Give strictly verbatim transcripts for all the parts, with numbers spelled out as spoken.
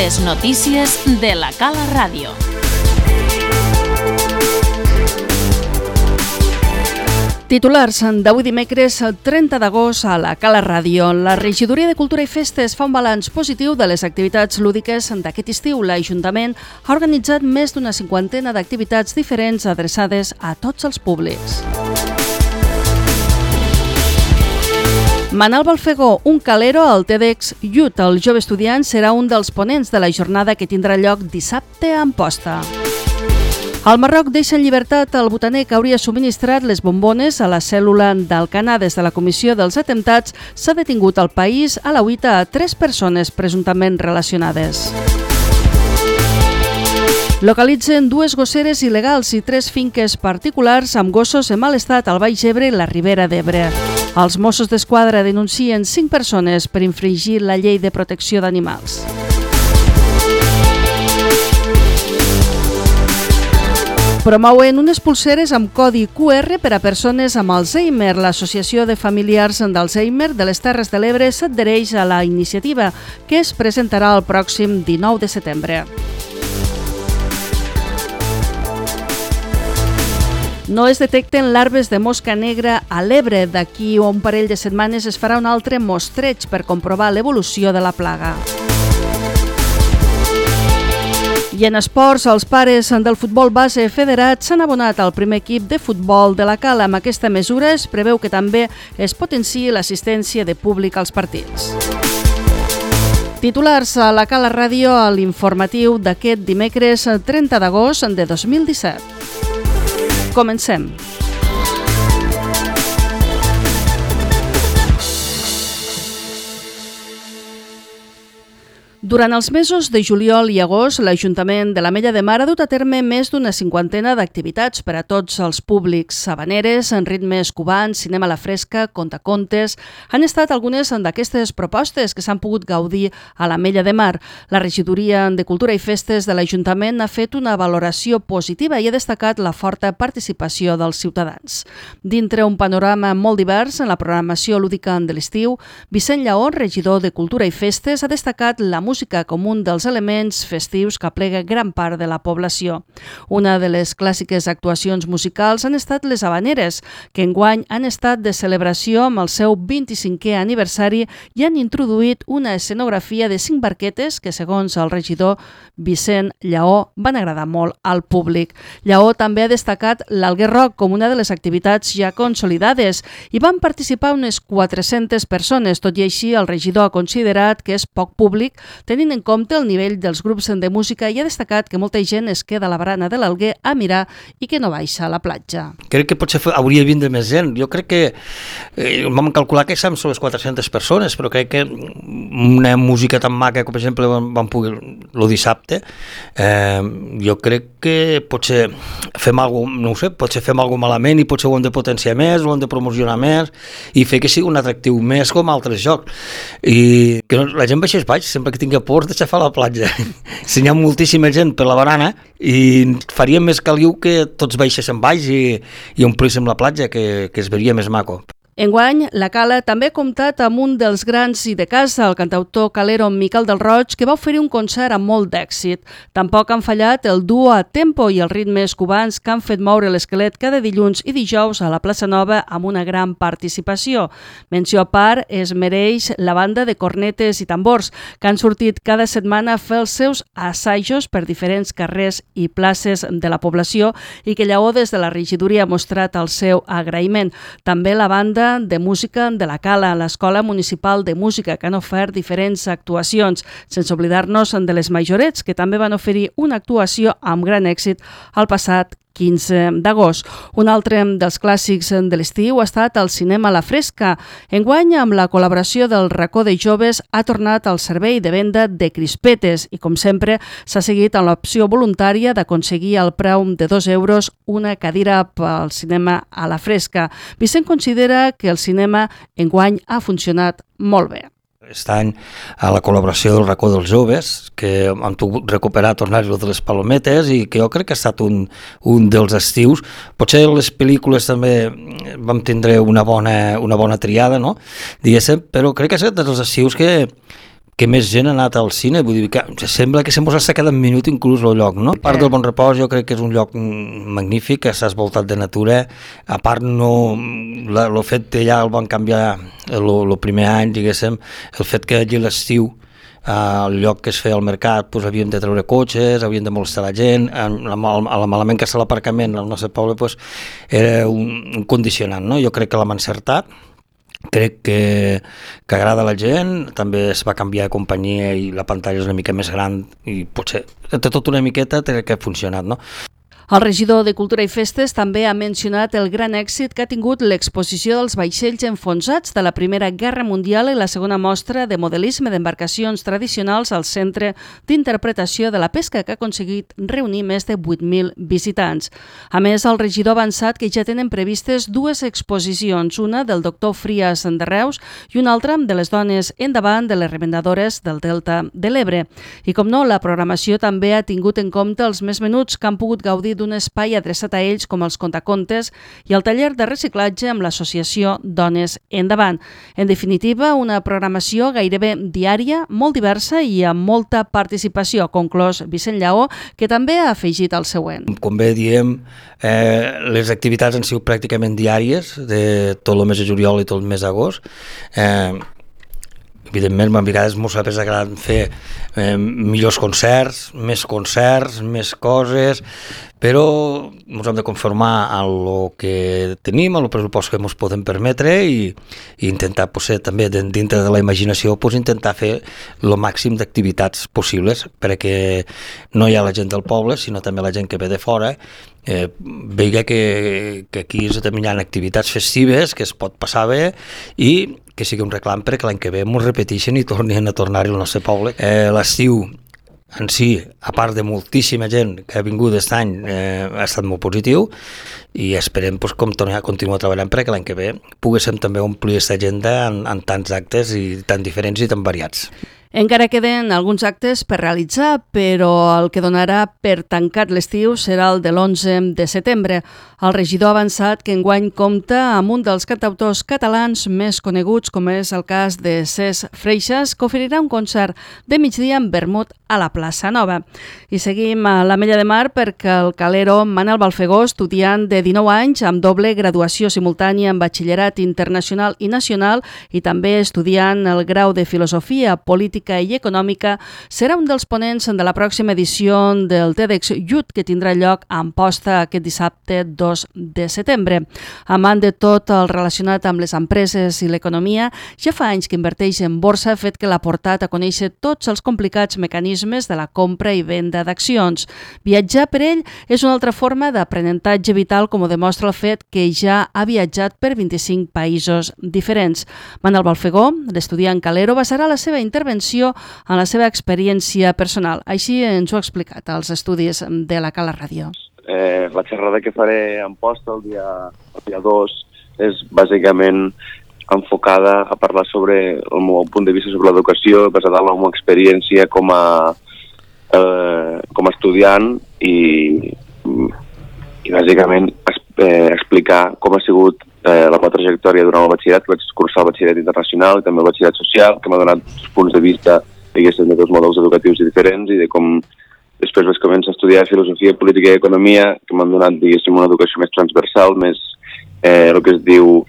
Les notícies de la Cala Ràdio. Titulars d'avui dimecres, trenta d'agost, a la Cala Ràdio. La Regidoria de Cultura i Festes fa un balanç positiu de les activitats lúdiques d'aquest estiu. L'Ajuntament ha organitzat més d'una cinquantena d'activitats diferents adreçades a tots els públics. Manal Balfegó, un calero al TEDx Youth. El jove estudiant serà un dels ponents de la jornada que tindrà lloc dissabte a Amposta. El Marroc deixa en llibertat el botaner que hauria subministrat les bombones a la cèl·lula d'Alcanar. Des de la Comissió dels Atemptats s'ha detingut al país a la UITA a tres persones presumptament relacionades. Localitzen dues gosseres il·legals i tres finques particulars amb gossos en mal estat al Baix Ebre i la Ribera d'Ebre. Els Mossos d'Esquadra denuncien cinc persones per infringir la llei de protecció d'animals. Promouen unes pulseres amb codi Q R per a persones amb Alzheimer. L'Associació de Familiars d'Alzheimer de les Terres de l'Ebre s'adhereix a la iniciativa, que es presentarà el pròxim dinou de setembre. No es detecten larves de mosca negra a l'Ebre. D'aquí a un parell de setmanes es farà un altre mostreig per comprovar l'evolució de la plaga. I en esports, els pares del futbol base federat s'han abonat al primer equip de futbol de la Cala. Amb aquesta mesura es preveu que també es potenciï l'assistència de públic als partits. Titulars a la Cala Ràdio a l'informatiu d'aquest dimecres trenta d'agost de dos mil disset. Comencem. Durant els mesos de juliol i agost, l'Ajuntament de l'Ametlla de Mar ha dut a terme més d'una cinquantena d'activitats per a tots els públics. Habaneres, en ritmes cubans, cinema a la fresca, contacontes... Han estat algunes d'aquestes propostes que s'han pogut gaudir a l'Ametlla de Mar. La Regidoria de Cultura i Festes de l'Ajuntament ha fet una valoració positiva i ha destacat la forta participació dels ciutadans. Dintre un panorama molt divers en la programació lúdica de l'estiu, Vicent Lleó, regidor de Cultura i Festes, ha destacat la música com un dels elements festius que aplega gran part de la població. Una de les clàssiques actuacions musicals han estat les habaneres, que enguany han estat de celebració amb el seu vint-i-cinquè aniversari i han introduït una escenografia de cinc barquetes que, segons el regidor Vicent Lleó, van agradar molt al públic. Lleó també ha destacat l'Alguer Rock com una de les activitats ja consolidades i van participar unes quatre-centes persones. Tot i així, el regidor ha considerat que és poc públic tenint en compte el nivell dels grups de música i ha destacat que molta gent es queda a la barana de l'Alguer a mirar i que no baixa a la platja. Crec que potser hauria de vindre més gent. Jo crec que eh, vam calcular que som les quatre-centes persones, però crec que una música tan maca com per exemple vam poder el dissabte, eh, jo crec que potser fem alguna cosa, no ho sé, potser fem alguna cosa malament i potser ho hem de potenciar més, ho hem de promocionar més i fer que sigui un atractiu més com altres jocs. I que la gent baixés baix, sempre que tingui por de xafar a la platja. Si hi ha moltíssima gent per la barana i faria més caliu que tots baixéssim baix i, i omplíssim la platja, que, que es veuria més maco. Enguany, la Cala també ha comptat amb un dels grans i de casa, el cantautor calero Miquel del Roig, que va oferir un concert amb molt d'èxit. Tampoc han fallat el duo a tempo i els ritmes cubans que han fet moure l'esquelet cada dilluns i dijous a la Plaça Nova amb una gran participació. Menció a part es mereix la banda de cornetes i tambors, que han sortit cada setmana a fer els seus assajos per diferents carrers i places de la població i que Lleó des de la regidoria ha mostrat el seu agraïment. També la banda de música de la Cala, l'Escola Municipal de Música, que han ofert diferents actuacions, sense oblidar-nos de les Majorets, que també van oferir una actuació amb gran èxit el passat quinze d'agost. Un altre dels clàssics de l'estiu ha estat el cinema a la fresca. Enguany, amb la col·laboració del Racó de Joves, ha tornat al servei de venda de crispetes i, com sempre, s'ha seguit amb l'opció voluntària d'aconseguir al preu de dos euros una cadira pel cinema a la fresca. Vicent considera que el cinema enguany ha funcionat molt bé. Aquest any a la col·laboració del Racó dels Joves, que han pogut recuperar, tornar-ho de les palometes i que jo crec que ha estat un, un dels estius. Potser les pel·lícules també vam tindre una bona, una bona triada, no? Diguéssim, però crec que ha estat dels estius que que més gent ha anat al cine, vull dir que sembla que sempre s'ha quedat un minut inclús el lloc, no? A part del Bon Repòs jo crec que és un lloc magnífic, que estàs voltat de natura, a part no, el fet que ja el van canviar el primer any, diguéssim, el fet que allí l'estiu al lloc que es feia al mercat doncs havíem de treure cotxes, havíem de molestar la gent, a la malament que està l'aparcament al nostre poble doncs, era un, un condicionant, no? Jo crec que l'hem encertat, crec que, que agrada a la gent, també es va canviar de companyia i la pantalla és una mica més gran i potser de tot una miqueta crec que ha funcionat, no? El regidor de Cultura i Festes també ha mencionat el gran èxit que ha tingut l'exposició dels vaixells enfonsats de la Primera Guerra Mundial i la segona mostra de modelisme d'embarcacions tradicionals al Centre d'Interpretació de la Pesca, que ha aconseguit reunir més de vuit mil visitants. A més, el regidor ha avançat que ja tenen previstes dues exposicions, una del doctor Frias de Reus i una altra de les dones endavant de les remendadores del Delta de l'Ebre. I com no, la programació també ha tingut en compte els més menuts que han pogut gaudir d'un espai adreçat a ells com els contacontes i el taller de reciclatge amb l'associació Dones Endavant. En definitiva, una programació gairebé diària, molt diversa i amb molta participació, conclòs Vicent Lleó, que també ha afegit el següent. Com bé diem, eh, les activitats han sigut pràcticament diàries de tot el mes de juliol i tot el mes d'agost. Eh, Evidentment, a vegades ens ha agradat fer eh, millors concerts, més concerts, més coses, però ens hem de conformar a el que tenim, al pressupost que ens podem permetre i, i intentar, potser, també dintre de la imaginació, pues, intentar fer el màxim d'activitats possibles perquè no hi ha la gent del poble, sinó també la gent que ve de fora, eh, veia que, que aquí també hi ha activitats festives que es pot passar bé i que sigui un reclam perquè l'any que ve ens repeteixen i tornin a tornar-hi al nostre poble. Eh, l'estiu en si, a part de moltíssima gent que ha vingut aquest any, eh, ha estat molt positiu i esperem pues, com tornar a continuar treballant perquè l'any que ve poguéssim també omplir aquesta agenda en, en tants actes i tan diferents i tan variats. Encara queden alguns actes per realitzar, però el que donarà per tancat l'estiu serà el de l'onze de setembre. El regidor ha avançat que enguany compta amb un dels cantautors catalans més coneguts, com és el cas de Cesc Freixas, que oferirà un concert de migdia amb vermut a la plaça Nova. I seguim a l'Ametlla de Mar perquè el calero Manel Balfegó, estudiant de dinou anys amb doble graduació simultània en batxillerat internacional i nacional i també estudiant el grau de Filosofia, Política i Econòmica, serà un dels ponents de la pròxima edició del TEDx Youth que tindrà lloc a Amposta aquest dissabte dos de setembre. Amant de tot el relacionat amb les empreses i l'economia, ja fa anys que inverteix en borsa, fet que l'ha portat a conèixer tots els complicats mecanismes de la compra i venda d'accions. Viatjar per ell és una altra forma d'aprenentatge vital, com ho demostra el fet que ja ha viatjat per vint-i-cinc països diferents. Manel Balfegó, l'estudiant calero, basarà la seva intervenció en la seva experiència personal. Així ens ho ha explicat als estudis de la Cala Ràdio. Eh, la xerrada que faré en posta el dia, el dia dos és bàsicament enfocada a parlar sobre el meu punt de vista sobre l'educació, basada en la meva experiència com a, eh, com a estudiant i, i bàsicament eh, explicar com ha sigut eh, la meva trajectòria durant el batxillerat, que vaig cursar el batxillerat internacional i també el batxillerat social, que m'ha donat punts de vista, diguéssim, de dos models educatius diferents i de com després vaig començar a estudiar filosofia, política i economia, que m'han donat, diguéssim, una educació més transversal, més eh, el que es diu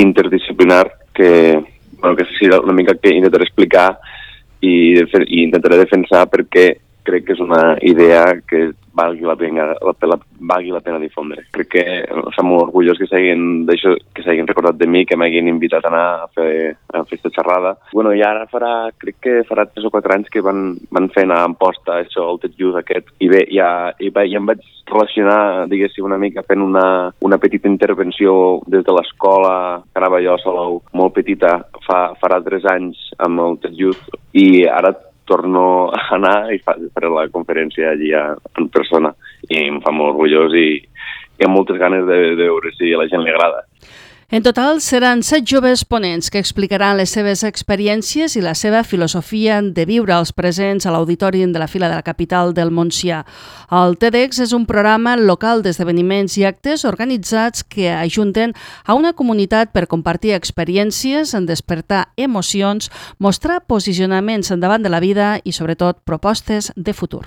interdisciplinar, que, bueno, que sí, una mica que intentaré explicar i, i intentaré defensar perquè crec que és una idea que valgui la pena, la, la, valgui la pena difondre. Crec que estem molt orgullós que s'hagin que s'hagin recordat de mi, que m'hagin invitat a anar a fer, a fer aquesta xerrada. Bueno, i ara farà, crec que farà tres o quatre anys que van, van fent a Amposta això, el Ted Youth aquest, i bé, ja, i bé, ja em vaig relacionar, diguéssim, una mica fent una, una petita intervenció des de l'escola, que anava jo a Salou, molt petita, fa, farà tres anys amb el Ted Youth, i ara torno a anar i faré la conferència allí en persona i em fa molt orgullós i, i amb moltes ganes de, de veure si a la gent li agrada. En total, seran set joves ponents que explicaran les seves experiències i la seva filosofia de viure als presents a l'Auditori de la Fila de la Capital del Montsià. El TEDx és un programa local d'esdeveniments i actes organitzats que ajunten a una comunitat per compartir experiències, en despertar emocions, mostrar posicionaments endavant de la vida i, sobretot, propostes de futur.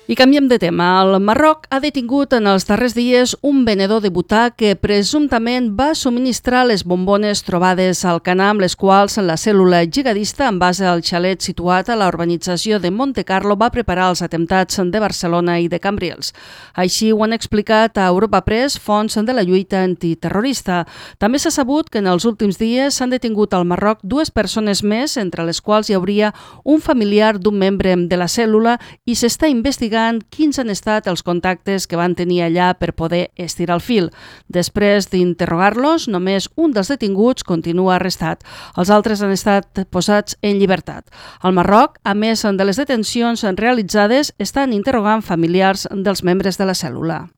I canviem de tema. El Marroc ha detingut en els darrers dies un venedor de butà que presumptament va subministrar les bombones trobades al Canà, amb les quals la cèl·lula jihadista, en base al xalet situat a la urbanització de Monte Carlo, va preparar els atemptats de Barcelona i de Cambrils. Així ho han explicat a Europa Press fonts de la lluita antiterrorista. També s'ha sabut que en els últims dies s'han detingut al Marroc dues persones més, entre les quals hi hauria un familiar d'un membre de la cèl·lula, i s'està investigant quins han estat els contactes que van tenir allà per poder estirar el fil. Després d'interrogar-los, només un dels detinguts continua arrestat. Els altres han estat posats en llibertat. Al Marroc, a més de les detencions realitzades, estan interrogant familiars dels membres de la cèl·lula.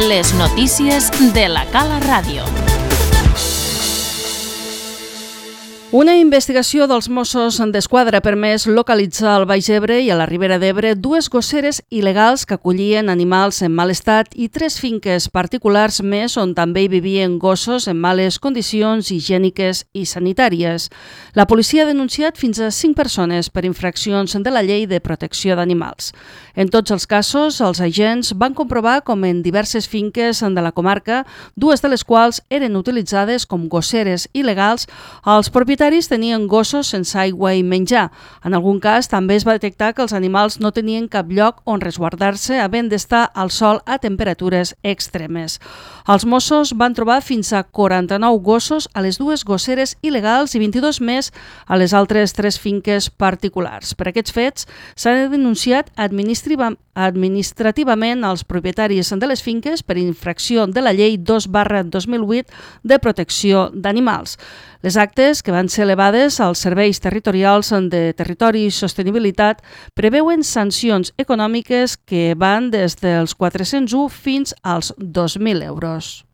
Les notícies de la Cala Ràdio. Una investigació dels Mossos d'Esquadra ha permès localitzar al Baix Ebre i a la Ribera d'Ebre dues gosseres il·legals que acollien animals en mal estat i tres finques particulars més on també hi vivien gossos en males condicions higièniques i sanitàries. La policia ha denunciat fins a cinc persones per infraccions de la llei de protecció d'animals. En tots els casos, els agents van comprovar com en diverses finques de la comarca, dues de les quals eren utilitzades com gosseres il·legals, els propietaris tenien gossos sense aigua i menjar. En algun cas també es va detectar que els animals no tenien cap lloc on resguardar-se, havent d'estar al sol a temperatures extremes. Els Mossos van trobar fins a quaranta-nou gossos a les dues gosseres il·legals i vint-i-dos més a les altres tres finques particulars. Per aquests fets s'han denunciat administrativament als propietaris de les finques per infracció de la llei dos barra dos mil vuit de protecció d'animals. Les actes, que van ser elevades als serveis territorials de Territori i Sostenibilitat, preveuen sancions econòmiques que van des dels quatre-cents u fins als dos mil euros.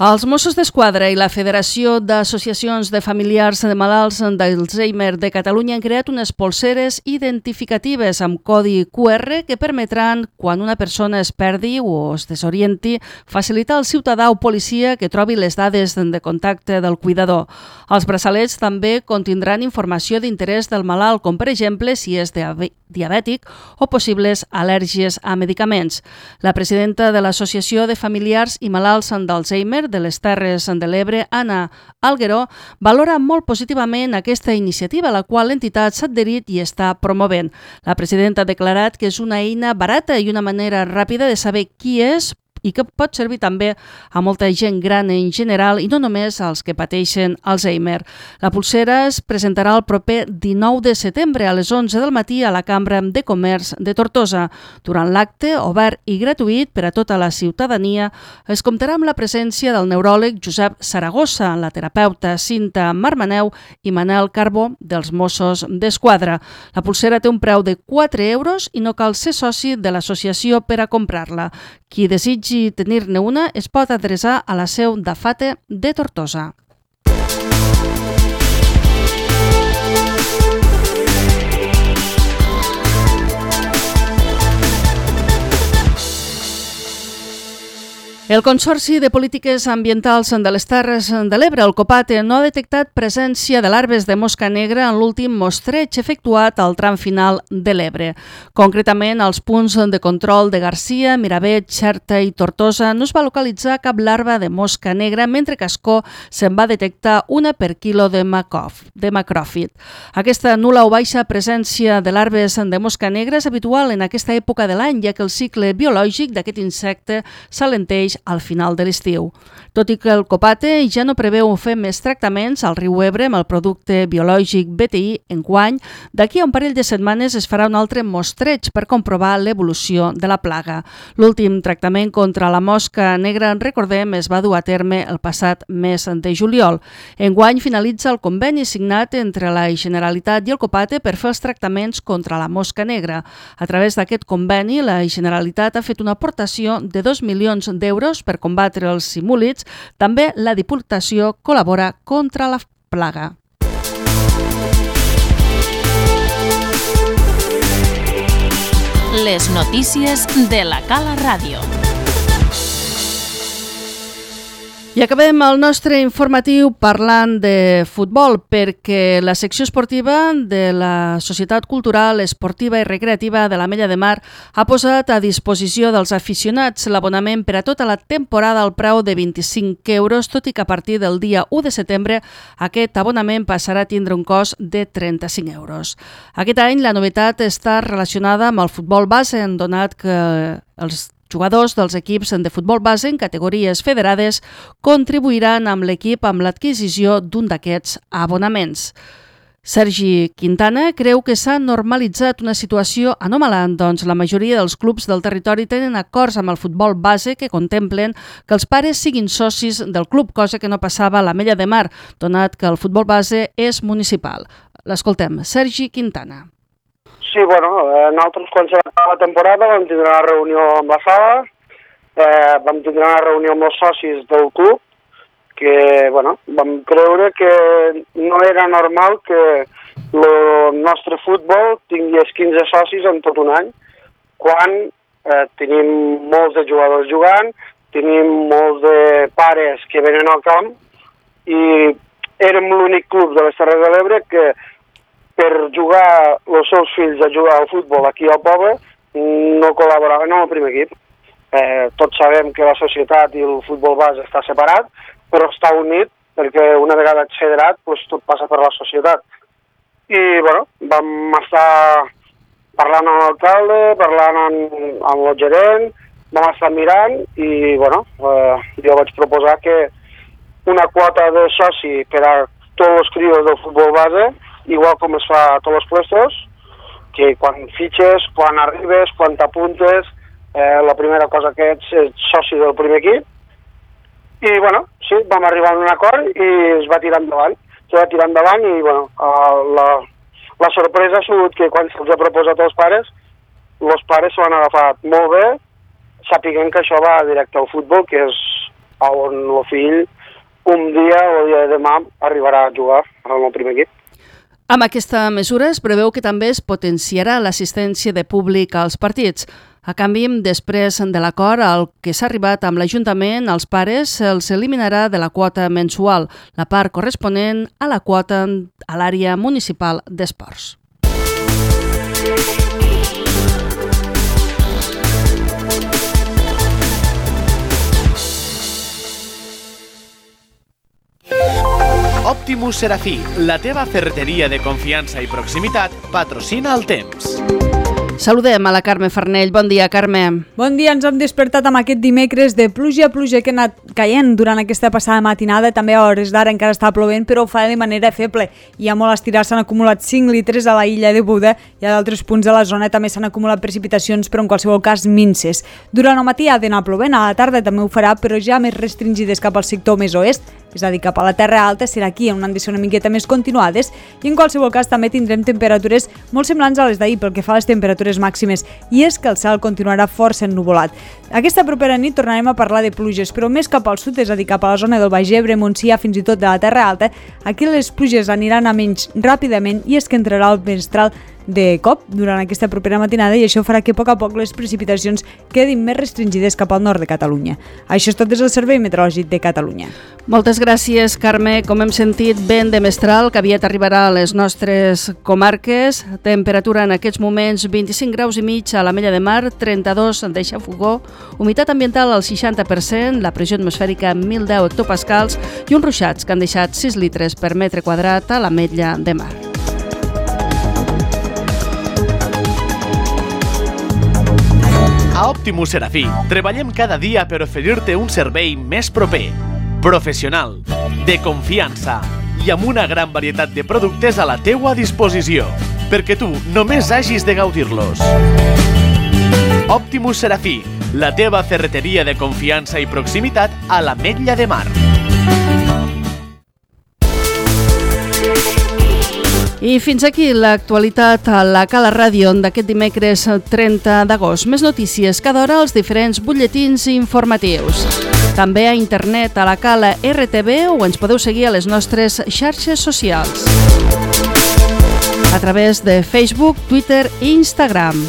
Els Mossos d'Esquadra i la Federació d'Associacions de Familiars de Malalts d'Alzheimer de Catalunya han creat unes polseres identificatives amb codi Q R que permetran, quan una persona es perdi o es desorienti, facilitar al ciutadà o policia que trobi les dades de contacte del cuidador. Els braçalets també contindran informació d'interès del malalt, com per exemple si és diabètic o possibles al·lèrgies a medicaments. La presidenta de l'Associació de Familiars i Malalts d'Alzheimer de les Terres de l'Ebre, Anna Algueró, valora molt positivament aquesta iniciativa a la qual l'entitat s'ha adherit i està promovent. La presidenta ha declarat que és una eina barata i una manera ràpida de saber qui és i que pot servir també a molta gent gran en general i no només als que pateixen Alzheimer. La pulsera es presentarà el proper dinou de setembre a les onze del matí a la Cambra de Comerç de Tortosa. Durant l'acte, obert i gratuït per a tota la ciutadania, es comptarà amb la presència del neuròleg Josep Saragossa, la terapeuta Cinta Marmaneu i Manel Carbó dels Mossos d'Esquadra. La pulsera té un preu de quatre euros i no cal ser soci de l'associació per a comprar-la. Qui desitgi tenir-ne una es pot adreçar a la seu d'Afate de Tortosa. El Consorci de Polítiques Ambientals de les Terres de l'Ebre, el COPATE, no ha detectat presència de larves de mosca negra en l'últim mostreig efectuat al tram final de l'Ebre. Concretament, als punts de control de Garcia, Miravet, Xerta i Tortosa no es va localitzar cap larva de mosca negra, mentre que a Ascó se'n va detectar una per quilo de macròfit. Aquesta nul·la o baixa presència de larves de mosca negra és habitual en aquesta època de l'any, ja que el cicle biològic d'aquest insecte s'alenteix al final de l'estiu. Tot i que el Copate ja no preveu fer més tractaments al riu Ebre amb el producte biològic B T I enguany, d'aquí a un parell de setmanes es farà un altre mostreig per comprovar l'evolució de la plaga. L'últim tractament contra la mosca negra, recordem, es va dur a terme el passat mes de juliol. Enguany finalitza el conveni signat entre la Generalitat i el Copate per fer els tractaments contra la mosca negra. A través d'aquest conveni, la Generalitat ha fet una aportació de dos milions d'euros per combatre els simúlids. També la Diputació col·labora contra la plaga. Les notícies de la Cala Ràdio. I acabem el nostre informatiu parlant de futbol, perquè la secció esportiva de la Societat Cultural, Esportiva i Recreativa de l'Ametlla de Mar ha posat a disposició dels aficionats l'abonament per a tota la temporada al preu de vint-i-cinc euros, tot i que a partir del dia u de setembre aquest abonament passarà a tindre un cost de trenta-cinc euros. Aquest any la novetat està relacionada amb el futbol base, donat que els jugadors dels equips de futbol base en categories federades contribuiran amb l'equip amb l'adquisició d'un d'aquests abonaments. Sergi Quintana creu que s'ha normalitzat una situació anòmala, doncs la majoria dels clubs del territori tenen acords amb el futbol base que contemplen que els pares siguin socis del club, cosa que no passava a l'Ametlla de Mar, donat que el futbol base és municipal. L'escoltem, Sergi Quintana. Sí, bueno, eh, nosaltres quan s'acaba la temporada vam tindre una reunió amb la sala, eh, vam tindre una reunió amb els socis del club, que, bueno, vam creure que no era normal que el nostre futbol tingués quinze socis en tot un any, quan eh, tenim molts de jugadors jugant, tenim molts de pares que venen al camp, i érem l'únic club de les Terres de l'Ebre que per jugar els seus fills a jugar al futbol aquí al poble no col·laboraven amb el primer equip. Eh, tots sabem que la societat i el futbol base està separat, però està unit perquè una vegada ets federat doncs tot passa per la societat. I bueno, vam estar parlant amb l'alcalde, parlant amb, amb el gerent, vam estar mirant i bueno, eh, jo vaig proposar que una quota de soci per a tots els crios del futbol base, igual com es fa a tots els puestos, que quan fitxes, quan arribes, quan t'apuntes, eh, la primera cosa que ets és soci del primer equip. I, bueno, sí, vam arribar a un acord i es va tirar endavant. Es va tirar endavant i, bueno, la, la sorpresa ha sigut que quan se'ls ha proposat als pares, els pares s'ho han agafat molt bé, sapiguent que això va directe al futbol, que és on el fill un dia o el dia de demà arribarà a jugar al primer equip. Amb aquesta mesura es preveu que també es potenciarà l'assistència de públic als partits. A canvi, després de l'acord al que s'ha arribat amb l'Ajuntament, als pares se'ls eliminarà de la quota mensual, la part corresponent a la quota a l'àrea municipal d'esports. Optimus Serafí, la teva ferreteria de confiança i proximitat, patrocina el temps. Saludem a la Carme Farnell. Bon dia, Carme. Bon dia, ens hem despertat amb aquest dimecres de pluja, pluja que ha anat caient durant aquesta passada matinada, també a hores d'ara encara està plovent, però ho fa de manera feble. Hi ha molt estirar, s'han acumulat cinc litres a la illa de Buda i a d'altres punts de la zona també s'han acumulat precipitacions, però en qualsevol cas minces. Durant el matí ha d'anar plovent, a la tarda també ho farà, però ja més restringides cap al sector més oest, és a dir, cap a la Terra Alta, serà aquí on han de ser una miqueta més continuades i en qualsevol cas també tindrem temperatures molt semblants a les d'ahir pel que fa a les temperatures màximes, i és que el cel continuarà força ennuvolat. Aquesta propera nit tornarem a parlar de pluges, però més cap al sud, és a dir, cap a la zona del Baix Ebre, Montsià, fins i tot de la Terra Alta. Aquí les pluges aniran a menys ràpidament i és que entrarà el mestral de cop durant aquesta propera matinada i això farà que a poc a poc les precipitacions quedin més restringides cap al nord de Catalunya. Això és tot des del Servei Meteorològic de Catalunya. Moltes gràcies, Carme. Com hem sentit, vent de mestral que aviat arribarà a les nostres comarques. Temperatura en aquests moments vint-i-cinc graus i mig a l'Ametlla de Mar, trenta-dos de Xafogó, humitat ambiental al seixanta per cent, la pressió atmosfèrica mil deu hectopascals i uns ruixats que han deixat sis litres per metre quadrat a l'Ametlla de Mar. A Optimus Serafí treballem cada dia per oferir-te un servei més proper, professional, de confiança i amb una gran varietat de productes a la teua disposició, perquè tu només hagis de gaudir-los. Optimus Serafí, la teva ferreteria de confiança i proximitat a l'Ametlla de Mar. I fins aquí l'actualitat a la Cala Ràdio d'aquest dimecres trenta d'agost. Més notícies cada hora als diferents butlletins informatius. També a internet a la Cala R T V o ens podeu seguir a les nostres xarxes socials. A través de Facebook, Twitter i Instagram.